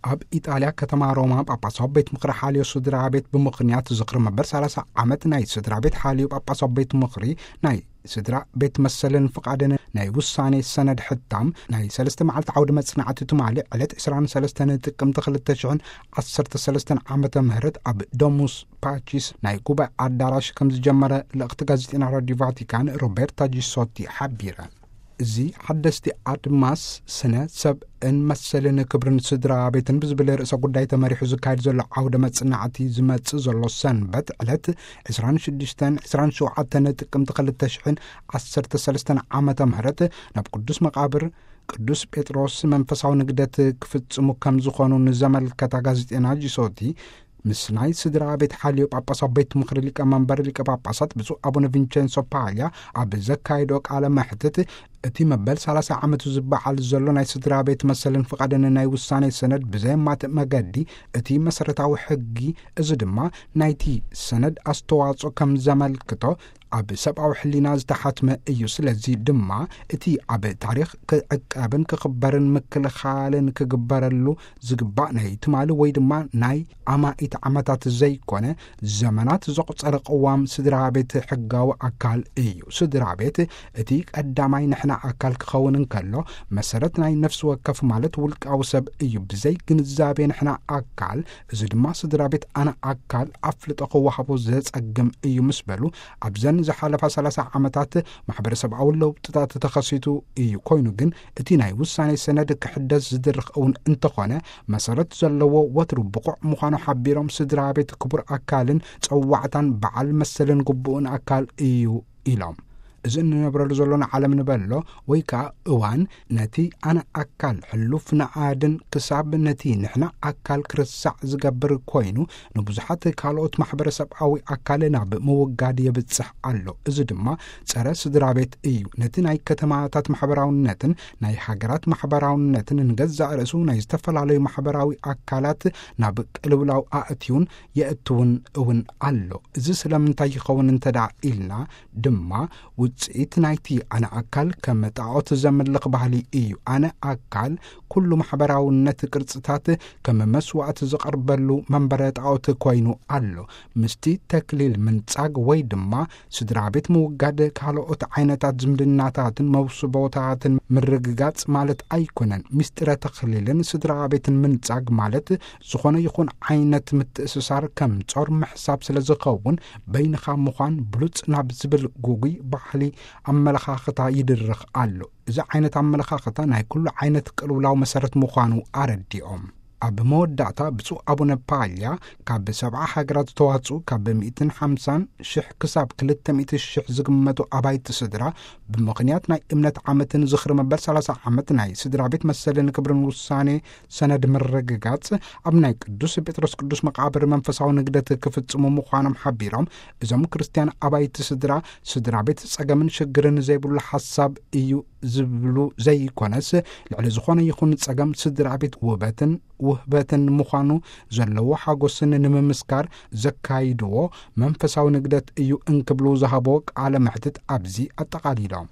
ኣብ ኢጣልያ ከተማ ሮማ ጳጳሳዊ ቤት ምኽሪ ሓልዮ ስድራ ቤት ብምኽንያት ዝኽሪ መበል ሰላሳ ዓመት ናይ ስድራ ቤት ሓልዮ ጳጳሳዊ ቤት ምኽሪ ናይ ስድራ ቤት መሰልን ፍቓድን ናይ ውሳኔ ሰነድ ሕታም ናይ ሰለስተ መዓልቲ ዓውዲ መጽናዕቲ ትማሊ ዕለት ዕስራን ሰለስተን ጥቅምቲ ክልተ ሽሕን ዓሰርተ ሰለስተን ዓመተ ምህረት ኣብ ዶሙስ ፓቺስ ናይ ጉባኤ ኣዳራሽ ከም ዝጀመረ ልእኽቲ ጋዜጠኛ ራዲዮ ቫቲካን ሮቤርታ ጂሶቲ ሓቢረ። እዚ ሓደስቲ ኣድማስ ስነ ሰብእን መሰልን ክብርን ስድራ ቤትን ብዝብል ርእሰ ጉዳይ ተመሪሑ ዝካየድ ዘሎ ዓውደ መጽናዕቲ ዝመጽእ ዘሎ ሰንበት ዕለት ዕስራን ሽዱሽተን ዕስራን ሸውዓተን ጥቅምቲ ክልተ ሽሕን ዓሰርተ ሰለስተን ዓመተ ምህረት ናብ ቅዱስ መቓብር ቅዱስ ጴጥሮስ መንፈሳዊ ንግደት ክፍጽሙ ከም ዝኾኑ ንዘመልከታ ጋዜጤና ጂሶቲ፣ ምስ ናይ ስድራ ቤት ሓልዮ ጳጳሳዊ ቤት ምኽሪ ሊቀ መንበር ሊቀ ጳጳሳት ብፁዕ ኣቡነ ቪንቸንሶ ፓልያ ኣብ ዘካየዶ ቃለ መሕትት፣ እቲ መበል ሰላሳ ዓመቱ ዝበዓል ዘሎ ናይ ስድራ ቤት መሰልን ፍቓድን ናይ ውሳኔ ሰነድ ብዘየማትእ መገዲ እቲ መሰረታዊ ሕጊ፣ እዚ ድማ ናይቲ ሰነድ ኣስተዋጽኦ ከም ዘመልክቶ ኣብ ሰብኣዊ ሕሊና ዝተሓትመ እዩ። ስለዚ ድማ እቲ ኣብ ታሪኽ ክዕቀብን ክኽበርን ምክልኻልን ክግበረሉ ዝግባእ ናይ ትማሊ ወይ ድማ ናይ ኣማኢት ዓመታት ዘይኮነ ዘመናት ዘቑጸረ ቅዋም ስድራ ቤት ሕጋዊ ኣካል እዩ። ስድራ ቤት እቲ ቀዳማይ ንሕና ኣካል ክኸውን እንከሎ መሰረት ናይ ነፍሲ ወከፍ ማለት ውልቃዊ ሰብ እዩ። ብዘይ ግንዛቤ ንሕና ኣካል፣ እዚ ድማ ስድራ ቤት ኣነ ኣካል ኣፍልጦ ክወሃቦ ዘጸግም እዩ ምስ በሉ ኣብዘን ዝሓለፋ ሰላሳ ዓመታት ማሕበረሰብኣዊ ለውጥታት ተኸሲቱ እዩ። ኮይኑ ግን እቲ ናይ ውሳኔ ሰነድ ክሕደስ ዝድርኽ እውን እንተኾነ መሰረት ዘለዎ ወትሩ ብቑዕ ምዃኑ ሓቢሮም ስድራ ቤት ክቡር ኣካልን ጸዋዕታን በዓል መሰልን ግቡእን ኣካል እዩ ኢሎም። እዚ እንነብረሉ ዘሎና ዓለም ንበሎ ወይ ከኣ እዋን ነቲ ኣነ ኣካል ሕሉፍ ንኣድን ክሳብ ነቲ ንሕና ኣካል ክርስሳዕ ዝገብር ኮይኑ ንብዙሓት ካልኦት ማሕበረሰብኣዊ ኣካል ናብ ምውጋድ የብጽሕ ኣሎ። እዚ ድማ ጸረ ስድራ ቤት እዩ። ነቲ ናይ ከተማታት ማሕበራውነትን ናይ ሃገራት ማሕበራውነትን ንገዛእ ርእሱ ናይ ዝተፈላለዩ ማሕበራዊ ኣካላት ናብ ቅልውላው ኣእትዩን የእትውን እውን ኣሎ። እዚ ስለምንታይ ይኸውን እንተ ደኣ ኢልና ድማ ውጽኢት ናይቲ ኣነ ኣካል ከም ጣዖት ዘምልኽ ባህሊ እዩ። ኣነ ኣካል ኩሉ ማሕበራውነት ቅርጽታት ከም መስዋእቲ ዝቐርበሉ መንበረ ጣዖት ኮይኑ ኣሎ። ምስቲ ተክሊል ምንጻግ ወይ ድማ ስድራ ቤት ምውጋድ ካልኦት ዓይነታት ዝምድናታትን መውስቦታትን ምርግጋጽ ማለት ኣይኮነን። ምስጢረ ተክሊልን ስድራ ቤትን ምንጻግ ማለት ዝኾነ ይኹን ዓይነት ምትእስሳር ከም ጾር ምሕሳብ ስለ ዝኸውን በይንኻ ምዃን ብሉጽ ናብ ዝብል ጉጉይ ባህሊ ኣመለኻኽታ ይድርኽ ኣሎ። እዚ ዓይነት ኣመለኻኽታ ናይ ኩሉ ዓይነት ቅልውላው መሰረት ምዃኑ ኣረዲኦም። ኣብ መወዳእታ ብፁዕ ኣቡነ ፓልያ ካብ ሰብዓ ሃገራት ዝተዋጽኡ ካብ ሚእትን ሓምሳን ሽሕ ክሳብ ክልተ ሚእቲ ሽሕ ዝግመቱ ኣባይቲ ስድራ ብምኽንያት ናይ እምነት ዓመትን ዝኽሪ መበል ሰላሳ ዓመት ናይ ስድራ ቤት መሰልን ክብርን ውሳኔ ሰነድ ምርግጋጽ ኣብ ናይ ቅዱስ ጴጥሮስ ቅዱስ መቃብር መንፈሳዊ ንግደት ክፍጽሙ ምዃኖም ሓቢሮም፣ እዞም ክርስትያን ኣባይቲ ስድራ፣ ስድራ ቤት ጸገምን ሽግርን ዘይብሉ ሓሳብ እዩ ዝብሉ ዘይኮነስ፣ ልዕሊ ዝኾነ ይኹን ጸገም ስድራ ቤት ውበትን ውህበትን ምዃኑ ዘለዎ ሓጎስን ንምምስካር ዘካይድዎ መንፈሳዊ ንግደት እዩ እንክብሉ ዝሃቦ ቃለ መሕትት ኣብዚ ኣጠቓሊሎም።